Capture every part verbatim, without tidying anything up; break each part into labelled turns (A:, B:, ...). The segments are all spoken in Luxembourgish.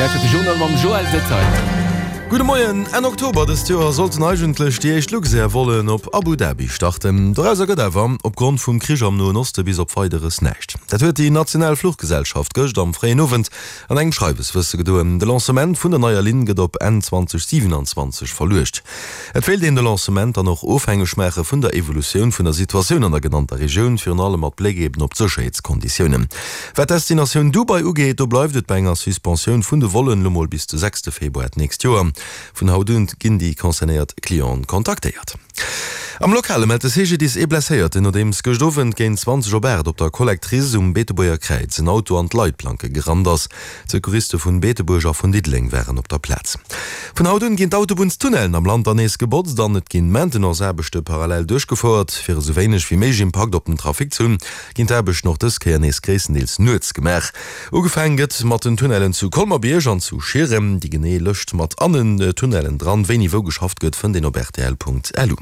A: lauschtert de Journal mam Joël Detaille.
B: Gudde Moien, Enn Oktober dëst Joer sollten eigentlech déi éischt Luxair-Vollen op Abu Dhabi starten. Dorauser gëtt awer opgrond vum Krich am Noen Oste bis op Weideres näischt. Dat huet déi national Fluchgesellschaft gëscht am fréien Owend an engem Schreiwes wësse gedoen. De Lancement vun der neier Linn gëtt op Enn zweedausendsiwenanzwanzeg verluecht. Et wéilt een de Lancement dann och ofhängeg maache vun der Evolutioun vun der Situatioun an der genannter Regioun, virun allem mat Bléck eben op d'Sécherheetskonditiounen. Wat d'Destinatioun Dubai ugeet, do bleift et bei enger Suspensioun vun de Vollen, lo mol bis de sechste Februar d'nächst Joer. Vun haut un ginn déi concernéiert Clienten kontaktéiert. Am Lokale mellt de C G D I S ee Blesséierten, nodeems gëscht Owend géint zwanzeg op aacht op der Collectrice um Beetebuerger Kräiz en Auto an d'Leitplanke gerannt ass. D'Secouriste vun Beetebuerg a vun Diddeleng waren op der Plaz. Vun haut un ginn d'Autobunnstunnellen am Land dann nees gebotzt an et ginn Maintenance-Aarbechte parallel duerchgefouert. Fir esou wéineg wéi méiglech Impakt op den Trafic ze hunn, ginn d'Aarbechten och dës Kéier nees gréisstendeels nuets gemaach. Ugefaangen gëtt mat den Tunnellen zu Colmer-Bierg an zu Schieren. Déi genee Lëscht mat allen Tunnellen dran, wéini wou geschafft gëtt, fënnt een op rtl Punkt lu.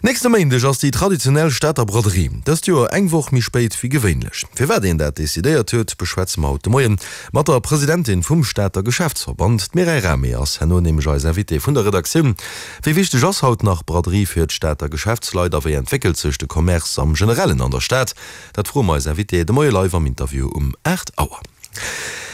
B: Nächste Méindeg ass déi traditionell Stater Braderie, dëst Joer eng Woch méi spéit wéi gewéinlech. Firwat een dat decidéiert huet, beschwätze mer haut de Moien mat der Presidentin vum Stater Geschäftsverband. D'Mireille Rahmé ass herno nämlech eis Invitée vun der Redaktioun. Wéi wichteg ass haut nach Braderie fir d'Stater Geschäftsleit a wéi entwéckelt sech de Commerce am Generellen an der Stad? Dat froe mer eis Invitée de Moie live am Interview um aacht Auer.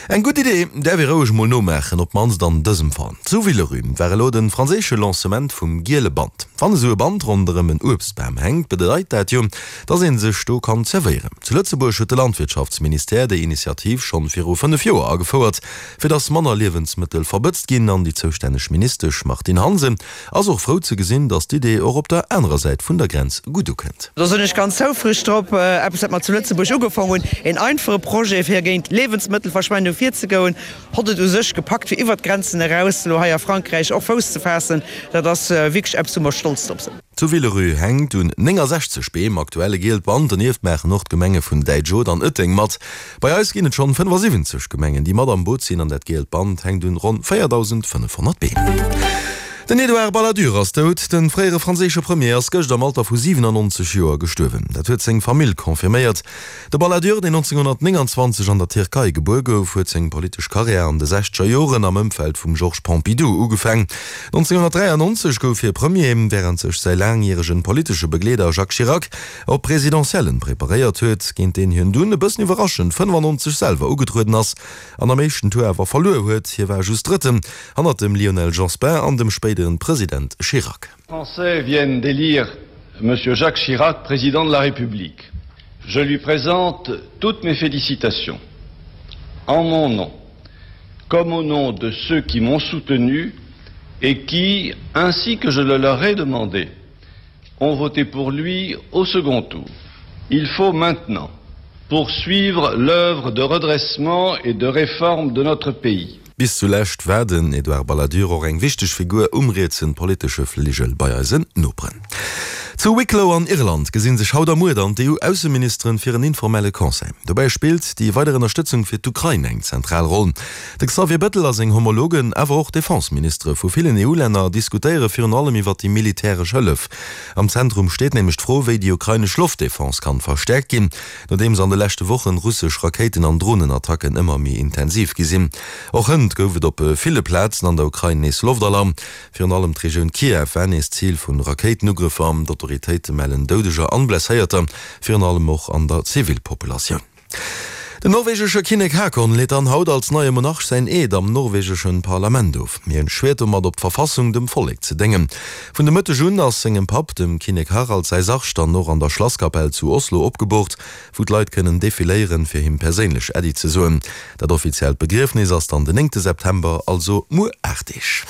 B: Eng gutt Idee däerf ee roueg mol nomaachen, op d'mannst an dësem Fall. Zu Villerupt war elo de franséische Lancement vum giele Band. Wann esou e Band ronderëm en Uebstbam hänkt, bedeit dat jo, dass ee sech do kann zerwéieren. Zu Lëtzebuerg huet de Landwirtschaftsministère déi Initiativ schonn viru fënnef Joer agefouert, fir dass manner Liewensmëttel verbëtzt ginn. An déi zoustänneg Ministesch Martine Hansen ass och frou ze gesinn, dass d'Idee och op der anerer Säit vun der Grenz gutt ukënnt.
C: Do sinn ech ganz houfreg drop. Eppes, wat mer zu Lëtzebuerg ugefaangen hunn, een einfache Projet, fir géint Liewensmëttelverschwendung virzegoen, hott et u sech gepackt, fir iwwert d'Grenzen eraus elo hei a Frankräich och Fouss ze faassen. Dat ass wierklech eppes, wou mer stolz drop sinn.
B: Zu Villerupt hänkt un néngensechzeg Beem aktuell e gielt Band. Donieft maachen och d'Gemenge vun Däitsch-Oth an Ëtteng mat. Bei eis ginn et schonn fënnefasiwwenzeg Gemengen, déi mat am Boot sinn an dat gielt Band hänkt un ronn véierdausendfënnefhonnert Beem. Den Edouard Balladur ass dout. De fréiere franséische Premier ass gëscht am Alter vu siwenannonzeg Joer gestuerwen. Dat huet seng Famill confirméiert. De Balladur, deen nonzénghonnertnénganzwanzeg an der Tierkei gebuer gouf, huet seng politesch Karriär an de sechzeger Joren am Ëmfeld vum Georges Pompidou ugefaang. nonzénghonnertdräiannonzeg gouf hie Premier, wärend sech säi laangjäregen politesche Begleeder Jacques Chirac op d'Presidentiellen preparéiert huet, géint deen hien dunn e bëssen iwwerraschend fënnefannonzeg selwer ugetrueden ass an am éischten Tour awer verluer huet. Hie war just Drëtten hannert dem Lionel Jospin an dem spéideren President Chirac.
D: Français viennent d'élire Monsieur Jacques Chirac président de la République. Je lui présente toutes mes félicitations. En mon nom, comme au nom de ceux qui m'ont soutenu et qui, ainsi que je le leur ai demandé, ont voté pour lui au second tour. Il faut maintenant poursuivre l'œuvre de redressement et de réforme de notre pays.
B: Bis zulescht war den Edouard Balladur och eng wichteg Figur um rietsen politesche Fligel bei eisen Noperen. Zu Wicklow an Irland gesinn sech haut a muer dann d'E U-Ausseministeren fir en informelle Conseil. Dobäi spillt déi weider Ënnerstëtzung fir d'Ukrain eng zentral Roll. De Xavier Bettel a seng Homologen, awer och d'Defenseministere vu villen E U-Länner diskutéiere virun allem iwwer déi militäresch Hëllef. Am Zentrum steet nämlech d'Fro, wéi déi ukrainesch Loftdefense kann verstäerkt ginn, nodeems an de leschte Wochen russesch Rakéiten an Dronenattacken ëmmer méi intensiv gi sinn. Och hënt gouf et op ville Plazen an der Ukrain nees Loftalarm. Virun allem d'Regioun Kiew war nees Zil vun Rakéitenugrëffer. D'Autoritéite mellen Doudeger an Blesséierter, virun allem och an der Zivilpopulatioun. Den norwegesche Kinnek Haakon leet dann haut als neie Monarch säin Eed am norwegeschen Parlament of. Hien schwiert domat op d'Verfassung dem Vollek ze déngen. Vun de Mëtteg un ass sengem Papp, dem Kinnek Harald, säi Sarg dann och an der Schlasskapell zu Oslo opgeboort, wou d'Leit kënnen defiléieren, fir him perséinlech Äddi ze soen. Dat offiziellt Begriefnis ass dann den néngte September, also muer aacht Deeg.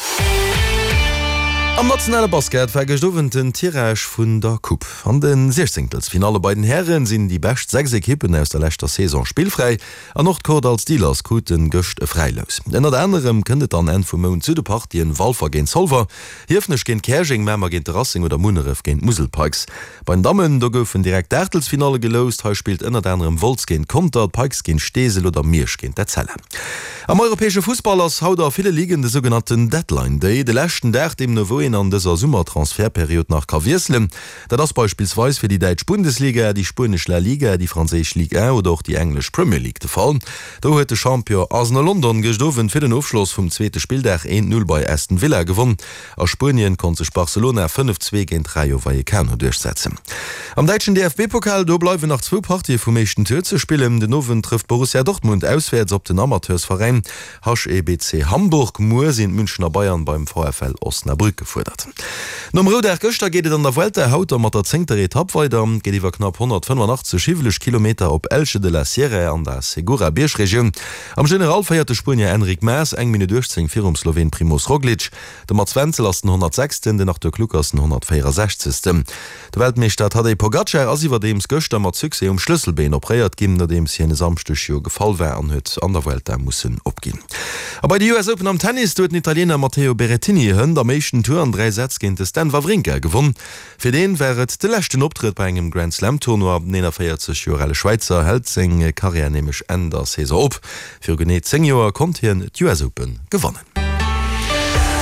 B: Am nationale Basket war gëscht Owend den Tirage vun der Coupe. An de Siechzéngtelsfinalle bei den Häre sinn déi bescht sechs Ekippen aus der leschter Saison spillfräi an och d'Kordall Steelers kruten gëscht e Fräilous. Ënnert anerem kënnt et dann Enn vum Mount zu de Partien Walfer géint Zolwer, Hiefenech géint Käerjeng, Mamer géint de Racing oder Munneref géint d'Musel Pikes. Bei den Dammen, do goufen direkt d'Aachtelsfinalle geloust. Hei spillt ënnert anerem Wolz géint Conter, d'Pikes géint Steesel oder Miersch géint d'Etzella. Am europäesche Fussball ass haut a ville Ligen de sougenannten Deadline Day, de leschten Dag, deemno wou een wou een an dëser Summertransfertperiod nach ka wiesselen. Dat ass beispillsweis fir déi däitsch Bundesliga, déi spuenesch La Liga, déi franséisch Ligue un oder och déi englesch Premier League de Fall. Do huet de Champion Arsenal London gëscht Owend fir den Ofschloss vum zweete Spilldag eent Null bei Aston Villa gewonn. A Spuenien konnt sech Barcelona fënnef zwee géint Rayo Vallecano duerchsetzen. Am däitschen D F B-Pokal, do bleiwen nach zwou Partië vum éischten Tour ze spillen. Den Owend trëfft Borussia Dortmund auswäerts op den Amateursveräin H E B C Hamburg. Muer sinn d'Münchener Bayern beim V F L Osnabrück gefuerdert. Nom Roudag gëschter geet et an der Vuelta haut da mat der zéngter Etapp weider. Et geet iwwer knapp honnertfënnefenachtzeg hiwweleg Kilometer op Elche de la Sierra an der Segura-Biergregioun. Am General féiert de Spuenier Enric Mas eng Minutt uechtzéng virum Sloween Primoz Roglic. De Mats Wenzel ass den honnertsechsten, den Arthur Kluck ass den honnertvéierasechzegsten. De Weltmeeschter Tadej Pogacar ass iwwerdeems gëschter mat Succès um Schlësselbeen operéiert ginn, nodeems hien e Samschdeg jo gefall war an huet an der Vuelta mussen opginn. A bei de U S Open am Tennis, do huet den Italiener Matteo Berrettini hënt am éischten Tour an dräi Sätz géint de Stan Wawrinka gewonn. Fir deen war et de leschten Optrëtt bei engem Grand Slam Tournoi. Den eenanvéierzeg Joer ale Schwäizer hält seng Karriär nämlech Enn der Saison op. Viru genee zéng Joer konnt hien d'U S Open gewannen.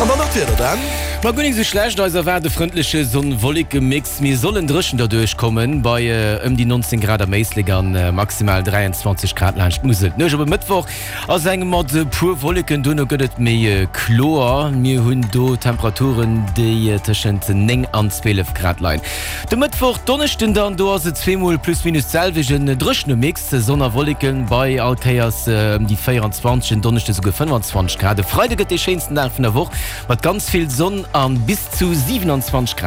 B: An dann nach d'Wieder, Dan.
A: Ma guer nik sou schlecht, eis erwaart e frëndleche Sonn-Wolleke-Mix. Mir sollen dréchen derduerch kommen, bei ëm déi neunzéng Grad am Éislek an maximal dräianzwanzeg Grad laanscht d'Musel. D'Nuecht op e Mëttwoch ass eng mat e puer Wolleken, duerno gëtt et méi kloer. Mir hunn do Temperaturen, déi tëschent néng an zwielef Grad leien. De Mëttwoch, Donneschden dann, do ass et zweemol plus minus d'selwecht, en dréchene Mix, Sonn a Wolleken, bei all Kéiers ëm déi véieranzwanzeg, en Donneschde souguer fënnefanzwanzeg Grad. E Freide gëtt dee schéinsten Dag vun der Woch, mat ganz vill Sonn an bis zu siewenundzwanzeg Grad.